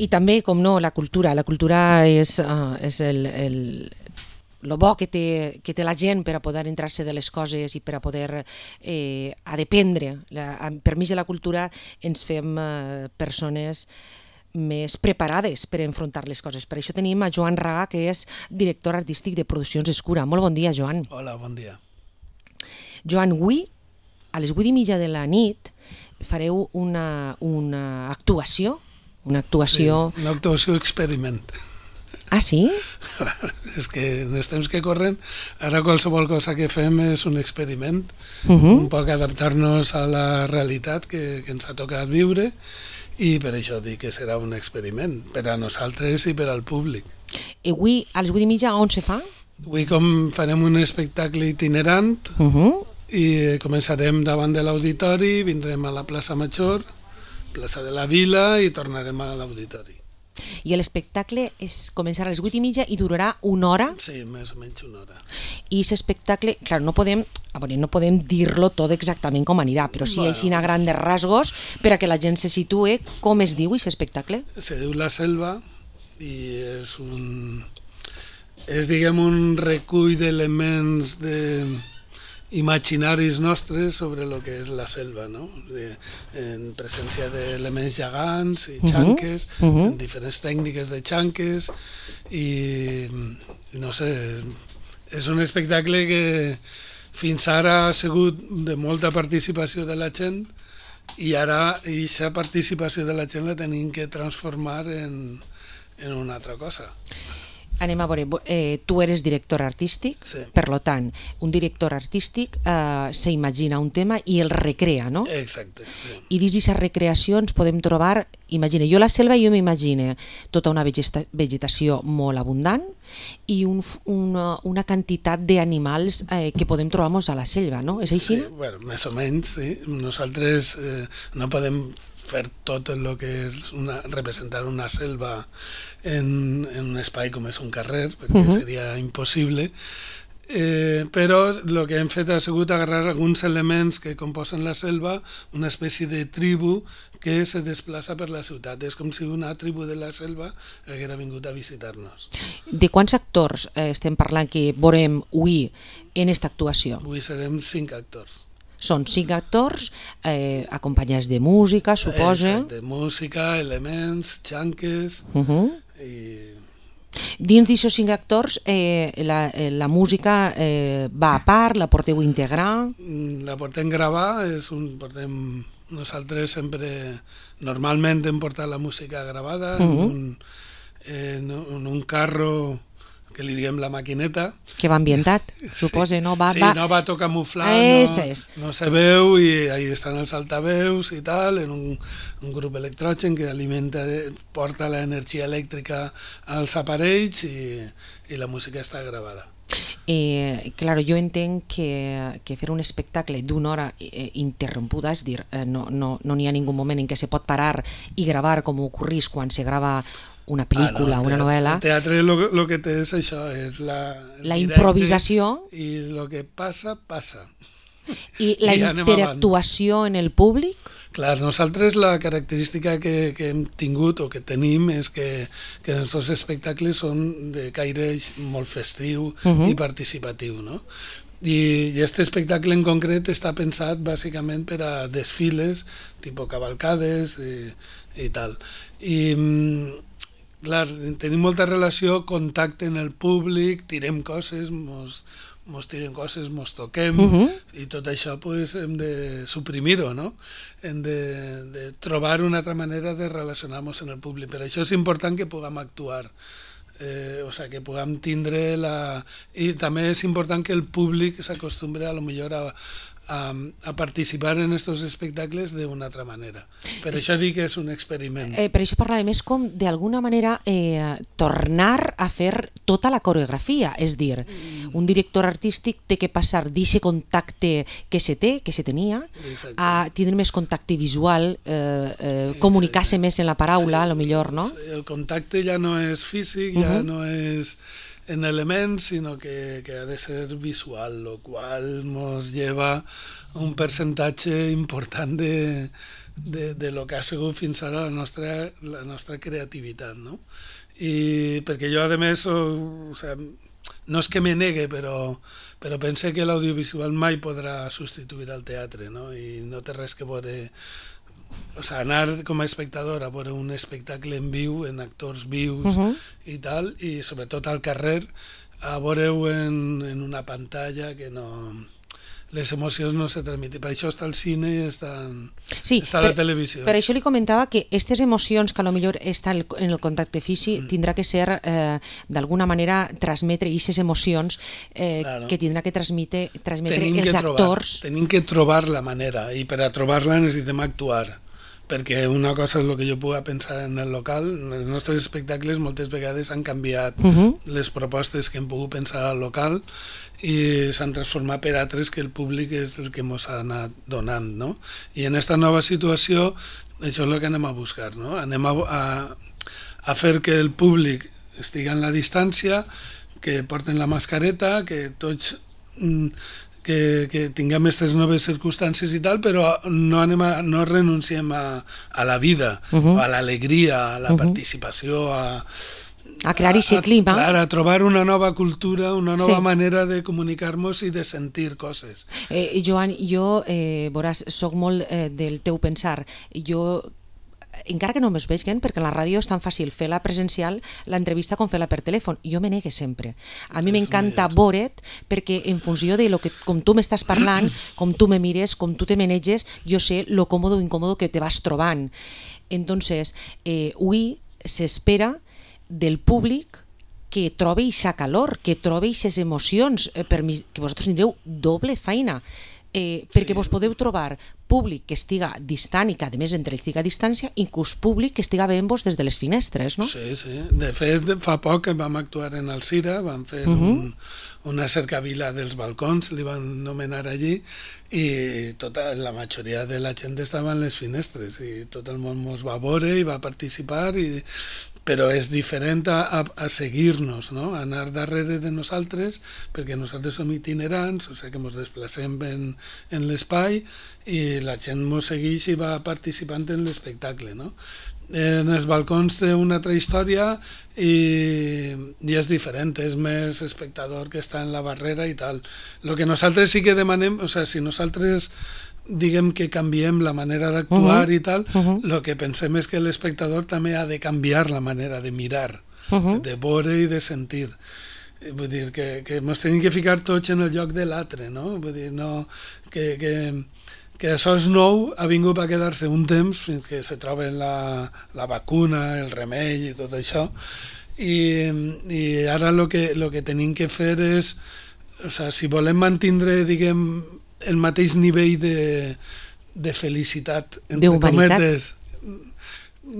I també, com no, la cultura. La cultura és lo bo que té la gent per a poder entrar-se de les coses i per a poder a dependre. Per mig de la cultura ens fem persones més preparades per enfrontar les coses. Per això tenim a Joan Raga, que és director artístic de Produccions Escura. Molt bon dia, Joan. Hola, bon dia. Joan, avui, a les 8:30 de la nit, fareu una actuació. Una actuació... Sí, una actuació experiment. Ah, sí? És que en els temps que corren, ara qualsevol cosa que fem és un experiment, un poc adaptar-nos a la realitat que ens ha tocat viure, i per això dic que serà un experiment, per a nosaltres i per al públic. I avui, a les 8:30, on se fa? Avui farem un espectacle itinerant i començarem davant de l'auditori, vindrem a la plaça Major, plaça de la Vila, i tornarem a l'auditori. I l'espectacle començarà a les 8:30 i durarà una hora? Sí, més o menys una hora. I aquest espectacle, clar, no podem dir-lo tot exactament com anirà, però sí així a grandes rasgos per a que la gent se situe. Com es diu aquest espectacle? Se diu La Selva i és diguem un recull d'elements imaginaris nostres sobre el que és la selva, no? En presència d'elements gegants i xanques, en diferents tècniques de xanques, i no sé, és un espectacle que fins ara ha sigut de molta participació de la gent, i ara aquesta participació de la gent la tenim que transformar en una altra cosa. Anem a veure, tu eres director artístic, sí. Per tant, un director artístic s'imagina un tema i el recrea, no? Exacte. Sí. I dins d'aquesta recreació ens podem trobar, imagina, jo la selva jo m'imagino tota una vegetació molt abundant i una quantitat d'animals que podem trobar-nos a la selva, no? És així? Sí, bueno, més o menys, sí. Nosaltres no podem fer tot el que és representar una selva en un espai com és un carrer, perquè seria impossible, però el que hem fet ha sigut agarrar alguns elements que composen la selva, una espècie de tribu que se desplaça per la ciutat. És com si una tribu de la selva haguera vingut a visitar-nos. De quants actors estem parlant que veurem avui en aquesta actuació? Avui serem 5 actors. Són 5 actors acompanyats de música, suposa. De música, elements, xanques... Dins d'aquests 5 actors, la música va a part, la porteu a integrar? La portem gravar, nosaltres sempre, normalment hem portat la música gravada en un carro que li diguem la maquineta. Que va ambientat, suposa, no? Sí, no va tot camuflat, no se veu, i ahí estan els altaveus i tal, en un grup electrogen que porta l'energia elèctrica als aparells, i la música està gravada. Claro, jo entenc que fer un espectacle d'una hora interrompuda, és dir, no n'hi ha ningú moment en què se pot parar i gravar com ocorrís quan se grava una pel·lícula, una novel·la. El teatre el que té és això, és la improvisació. I el que passa, passa. I la interactuació en el públic? Clar, nosaltres la característica que hem tingut o que tenim és que els nostres espectacles són de caire molt festiu i participatiu, no? I aquest espectacle en concret està pensat bàsicament per a desfiles, tipus cavalcades i tal. I clar, tenim molta relació, contacte en el públic, tirem coses, mos tiren coses, mos toquem, i tot això hem de suprimir-ho, no? Hem de trobar una altra manera de relacionar-nos en el públic. Per això és important que puguem actuar, que puguem tindre I també és important que el públic s'acostumbre a lo millor a participar en aquests espectacles d'una altra manera. Per això dic que és un experiment. Per això parlàvem, és com d'alguna manera tornar a fer tota la coreografia, és dir, un director artístic té que passar d'aquest contacte que se tenia, a tindre més contacte visual, comunicar-se més en la paraula, a lo millor, no? El contacte ja no és físic, ja no és en elements, sinó que ha de ser visual, lo qual nos lleva un percentatge important de lo que ha sigut fins ara la nostra creativitat, no? I perquè jo, a més, o sigui, no és que me negue, però pense que l'audiovisual mai podrà substituir el teatre, no? I no té res que veure... O sigui, anar com a espectador a veure un espectacle en viu, en actors vius i tal, i sobretot al carrer, a veure-ho en una pantalla que no... Les emocions no se transmiten. Per això està el cine i està la televisió. Per això li comentava que aquestes emocions que potser estan en el contacte físic tindrà que ser, d'alguna manera, transmetre aquestes emocions que tindrà que transmetre els actors. Tenim que trobar la manera, i per a trobar-la necessitem actuar. Perquè una cosa és el que jo puc pensar en el local, els nostres espectacles moltes vegades han canviat les propostes que hem pogut pensar al local i s'han transformat per altres que el públic és el que ens ha anat donant, no? I en aquesta nova situació això és el que anem a buscar, no? Anem a fer que el públic estigui en la distància, que porten la mascareta, que tots... que tinguem aquestes noves circumstàncies i tal, però no renunciem a la vida, a l'alegria, a la participació, a crear aquest clima. A trobar una nova cultura, una nova manera de comunicar-nos i de sentir coses. Joan, jo, veuràs, soc molt del teu pensar. Jo encara que no me'ls vegin, perquè a la ràdio és tan fàcil fer la presencial, l'entrevista, com fer-la per telèfon. Jo me negue sempre. A mi m'encanta veure't, perquè en funció de com tu m'estàs parlant, com tu me mires, com tu te maneges, jo sé lo còmodo o incòmodo que te vas trobant. Entonces, avui s'espera del públic que trobi aquesta calor, que trobi aquestes emocions, que vosaltres tindreu doble feina. Perquè vos podeu trobar públic que estiga distant i que a més entre ells estiga a distància, inclús públic que estiga veient-vos des de les finestres, no? Sí, sí. De fet, fa poc que vam actuar en Alzira, vam fer una cercavila dels balcons, li van nomenar allí, i la majoria de la gent estava en les finestres i tot el món ens va veure i va participar, però és diferent a seguir-nos, no? A anar darrere de nosaltres, perquè nosaltres som itinerants, o sigui que ens desplacem en l'espai i la gent ens segueix i va participant en l'espectacle, no? En els balcons té una altra història i és diferent, és més espectador que està en la barrera i tal. El que nosaltres sí que demanem, o sigui, si nosaltres diguem que canviem la manera d'actuar i tal, el que pensem és que l'espectador també ha de canviar la manera de mirar, de veure i de sentir. Vull dir que ens tenim que ficar tots en el lloc de l'altre, no? Vull dir, no, que això és nou, ha vingut a quedar-se un temps fins que se troben la vacuna, el remei i tot això, i ara el que tenim que fer és, o sigui, si volem mantindre, diguem, el mateix nivell de felicitat, entre cometes.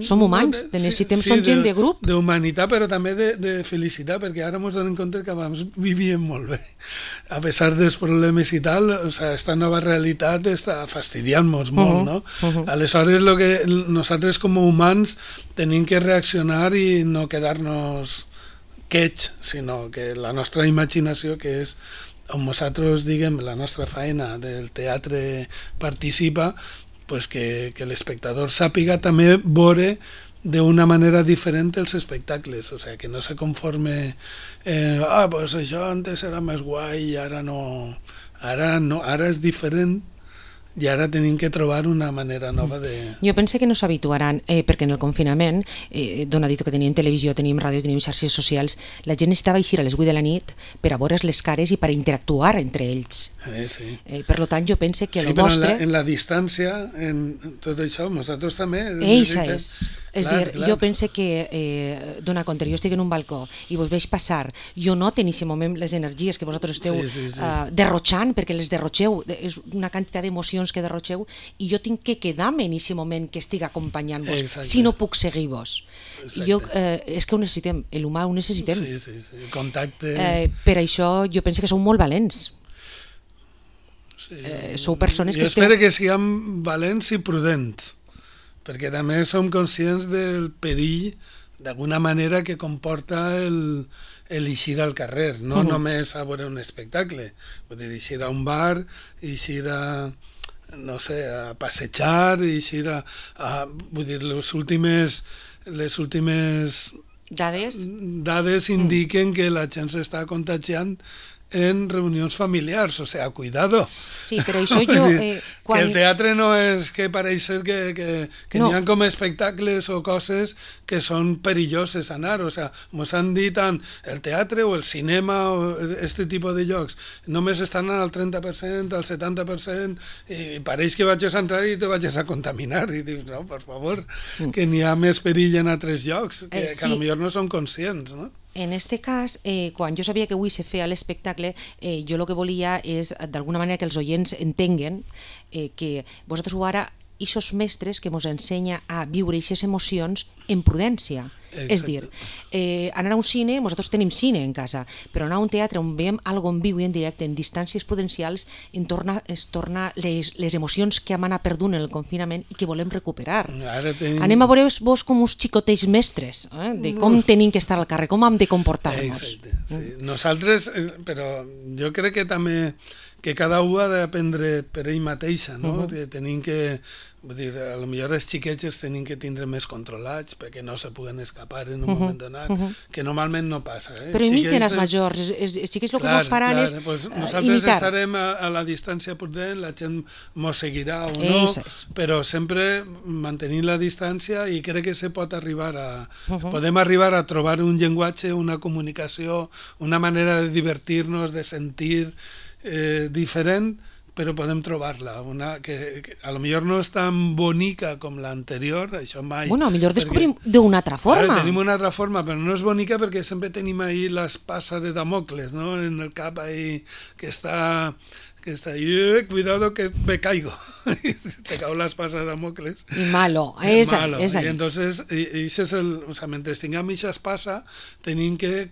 Som humans, necessitem, som gent de grup. D'humanitat, però també de felicitat, perquè ara ens donem compte que abans vivíem molt bé. A pesar dels problemes i tal, o sigui, aquesta nova realitat està fastidiant-nos molt, no? Aleshores, nosaltres com a humans tenim que reaccionar i no quedar-nos quets, sinó que la nostra imaginació, que és on nosaltres, diguem, la nostra feina del teatre participa, pues que l'espectador sàpiga també veure d'una manera diferent els espectacles, o sigui, que no se conforme pues això antes era més guai i ara no, ara és diferent i ara tenim que trobar una manera nova de... Jo penso que no s'habituaran, perquè en el confinament, dona dit que teníem televisió, teníem ràdio, teníem xarxes socials, la gent necessitava eixir a les 8 de la nit per a veure's les cares i per a interactuar entre ells. Sí. Per tant, jo penso que el vostre... Sí, però en la distància, en tot això, nosaltres també... Eixa és. És a dir, jo penso que, dona compte, jo estic en un balcó i vos veig passar, jo noto en aquest moment les energies que vosaltres esteu derrotxant, perquè les derrotxeu, és una quantitat d'emocions que derrotxeu, i jo tinc que quedar-me en aquest moment que estic acompanyant-vos, si no puc seguir-vos. És que ho necessitem, l'humà ho necessitem. Sí, el contacte... Per això jo penso que sou molt valents. Sou persones que esteu... Jo espero que siguem valents i prudents, perquè també som conscients del perill, d'alguna manera, que comporta el eixir al carrer, no només a veure un espectacle, vull dir, eixir a un bar, eixir a no sé, a passejar i així vull dir, les últimes dades indiquen que la gent s'està contagiant en reunions familiars, o sea, cuidado. Sí, però això jo... Que el teatre no és que pareix ser que no. N'hi ha com espectacles o coses que són perilloses anar, o sea, mos han dit tant el teatre o el cinema o este tipus de llocs, només estan al 30%, al 70%, i pareix que vaig a entrar i te vaig a contaminar, i dius, no, per favor, que n'hi ha més perill en altres llocs, que a lo millor no són conscients, no? En este cas, quan jo sabia que avui se feia l'espectacle, jo el que volia és, d'alguna manera, que els oients entenguen que vosaltres ho ara, ixos mestres que mos ensenya a viure aquestes emocions en prudència. Exacte. És dir, anar a un cine, nosaltres tenim cine en casa, però anar a un teatre on veiem alguna en viu i en directe, en distàncies prudencials, es torna les emocions que hem anat perdut en el confinament i que volem recuperar. Anem a veure vos com uns xicotells mestres, de com tenim que estar al carrer, com hem de comportar-nos. Exacte, sí. Nosaltres, però jo crec que també que cada un ha d'aprendre per ell mateixa, no? Que tenim que... Vull dir, a lo millor els xiquets els tenim que tindre més controlats perquè no se puguen escapar en un moment donat, que normalment no passa. Però imiten els majors, els xiquets el que mos faran és nosaltres estarem a la distància prudent, la gent mos seguirà o no, però sempre mantenint la distància, i crec que se pot arribar podem arribar a trobar un llenguatge, una comunicació, una manera de divertir-nos, de sentir diferent, però podem trobar-la, una que a lo millor no és tan bonica com l'anterior, això mai... Bueno, a millor descobrim d'una altra forma. Tenim una altra forma, però no és bonica perquè sempre tenim ahí l'espasa de Damocles, no?, en el cap ahí, que està cuidado que me caigo, te cau l'espasa de Damocles. I malo, és I entonces, o sea, mentre tinguem aquesta espasa, tenim que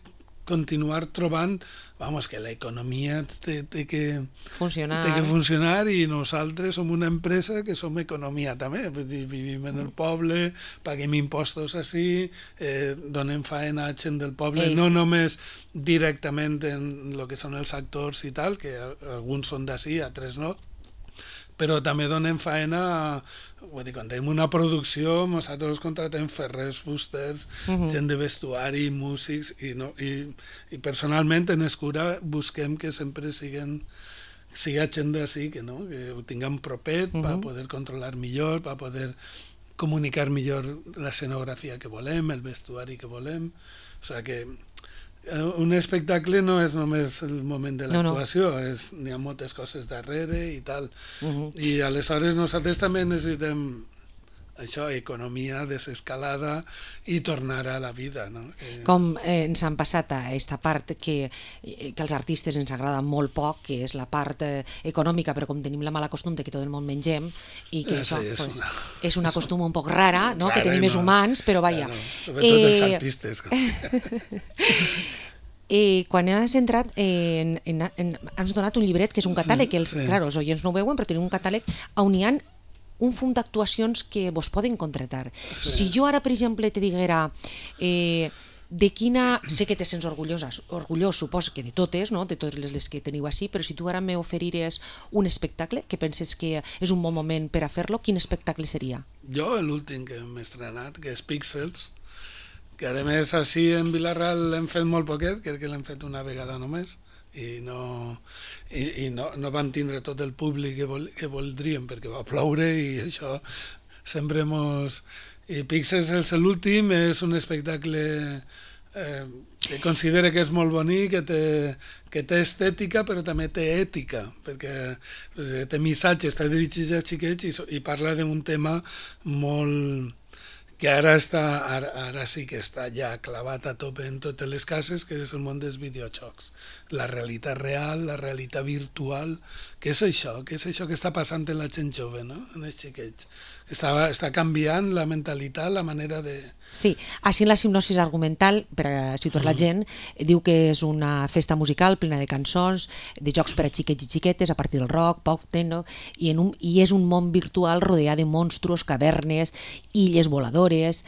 continuar trobant, que l'economia té que funcionar, i nosaltres som una empresa que som economia també, vivim en el poble, paguem impostos així, donem faena a gent del poble, no només directament en el que són els actors i tal, que alguns són d'ací, altres no, però també donem faena, vull dir, quan tenim una producció, nosaltres contratem ferrers, fusters, gent de vestuari, músics, i personalment en Escura busquem que sempre siga gent d'ací, que ho tinguem propet, per poder controlar millor, per poder comunicar millor l'escenografia que volem, el vestuari que volem, o sigui que un espectacle no és només el moment de l'actuació, n'hi ha moltes coses darrere i tal. I aleshores nosaltres també necessitem això, economia, desescalada i tornar a la vida, no? Com ens han passat a aquesta part que als artistes ens agrada molt poc, que és la part econòmica, però com tenim la mala costum de que tot el món mengem, i que això és una costum un poc rara, que tenim més humans, però vaja. Sobretot els artistes. Quan has entrat, has donat un llibret que és un catàleg, que els oients no ho veuen, però tenim un catàleg on hi ha un fum d'actuacions que vos poden contratar. Si jo ara, per exemple, te diguera de quina... Sé que te sents orgullós, suposo que de totes, de totes les que teniu així, però si tu ara m'oferires un espectacle que penses que és un bon moment per a fer-lo, quin espectacle seria? Jo, l'últim que hem estrenat, que és Píxels, que a més així en Vilarral l'hem fet molt poquet, crec que l'hem fet una vegada només, i no vam tindre tot el públic que voldríem perquè va ploure i això sempre mos... I Píxels és l'últim, és un espectacle que considero que és molt bonic, que té estètica però també té ètica, perquè té missatge, està dirigit als xiquets i parla d'un tema molt... que ara sí que està ja clavat a tope en totes les cases, que és el món dels videojocs. La realitat real, la realitat virtual, què és això? Què és això que està passant en la gent jove, no? En els xiquets? Està canviant la mentalitat, la manera de... Sí, així en la hipnosi argumental, per a situar la gent, diu que és una festa musical plena de cançons, de jocs per a xiquets i xiquetes, a partir del rock, pop, techno, i és un món virtual rodeat de monstruos, cavernes, illes voladores, actores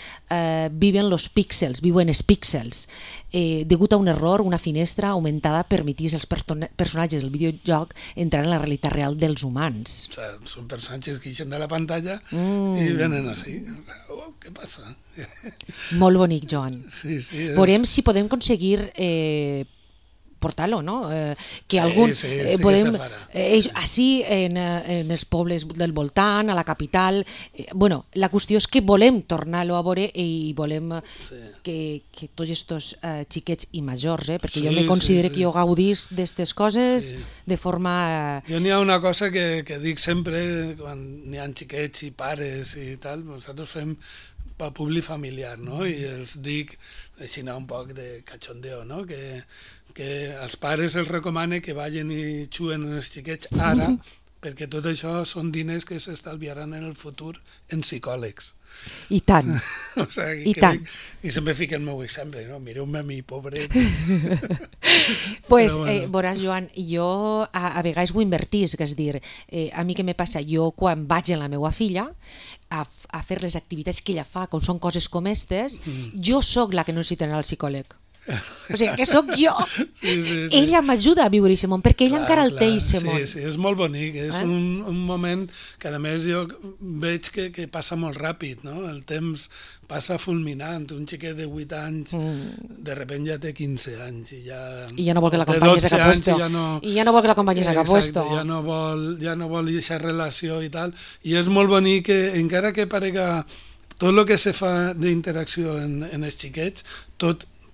viuen els píxels. Degut a un error, una finestra aumentada permetís als personatges del videojoc entrar en la realitat real dels humans. O sea, són personatges que ixen de la pantalla i venen així. Oh, què passa? Molt bonic, Joan. Sí, sí. Veurem si podem aconseguir portar-lo, no? Que algun podem així en els pobles del voltant, a la capital. Bueno, la qüestió és que volem tornar-lo a veure i volem que tots aquests xiquets i majors, perquè jo me considero que jo gaudís d'aquestes coses de forma... Jo n'hi ha una cosa que dic sempre quan n'hi ha xiquets i pares i tal, nosaltres fem per públic familiar, no? I els dic així un poc de cachondeo, no? Que als pares els recomane que vagin i xuen els xiquets ara, perquè tot això són diners que s'estalviaran en el futur en psicòlegs. I tant. O sigui, tant. I sempre fico el meu exemple, no? Mireu-me a mi, pobret. Pues, veuràs, Joan, jo a vegades ho invertís, que és dir, a mi què me passa? Jo quan vaig amb la meva filla a fer les activitats que ella fa, com són coses com aquestes, jo sóc la que no necessita anar al psicòleg. O sigui, que sóc jo. Ella m'ajuda a viure aquest món, perquè ella encara el té aquest món. Sí, és molt bonic, és un moment que a més jo veig que passa molt ràpid, no? El temps passa fulminant, un xiquet de 8 anys de sobte ja té 15 anys i ja no vol que l'acompanyis a cap puesto. I ja no vol que l'acompanyis a cap puesto. Ja no vol aquesta relació i tal, i és molt bonic que encara que parega tot el que se fa d'interacció en els xiquets,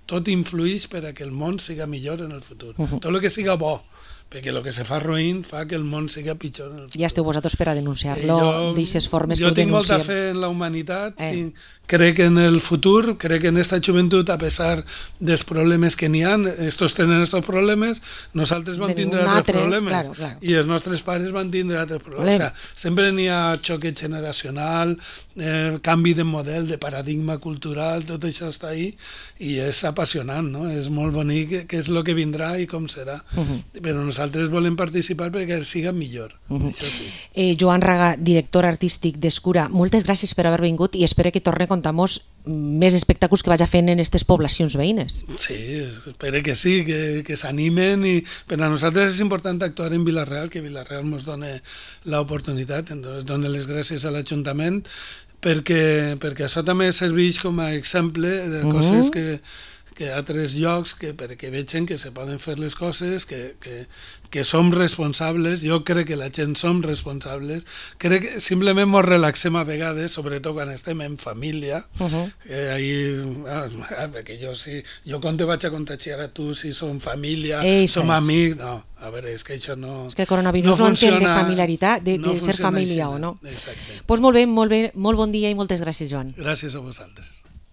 tot influeix per a que el món siga millor en el futur. Tot el que siga bo, perquè el que se fa roïn fa que el món siga pitjor en el futur. Ja esteu vosaltres per a denunciar-lo d'aixes formes que ho denunciem. Jo tinc molta fe en la humanitat, crec en el futur, crec en esta joventut, a pesar dels problemes que n'hi ha, estos tenen estos problemes, nosaltres vam tindre altres problemes, i els nostres pares van tindre altres problemes. O sea, sempre n'hi ha xoque generacional, canvi de model, de paradigma cultural, tot això està ahí, i és apassionant, no? És molt bonic què és el que vindrà i com serà. Però nosaltres volem participar perquè siga millor, això sí. Joan Raga, director artístic d'Escura, moltes gràcies per haver vingut i espero que torni a contar-nos més espectacles que vaig fent en aquestes poblacions veïnes. Sí, espero que sí, que s'animen, i per a nosaltres és important actuar en Vila-real, que Vila-real ens dona l'oportunitat, ens dona les gràcies a l'Ajuntament, perquè això també serveix com a exemple de coses que a altres llocs perquè vegin que se poden fer les coses, que som responsables. Jo crec que la gent som responsables, crec que simplement ens relaxem a vegades, sobretot quan estem en família, perquè jo quan te vaig a contagiar a tu si som família, som amics, no, a veure, és que això no... És que el coronavirus no entén de familiaritat, de ser família o no. Exacte. Doncs molt bé, molt bon dia i moltes gràcies, Joan. Gràcies a vosaltres.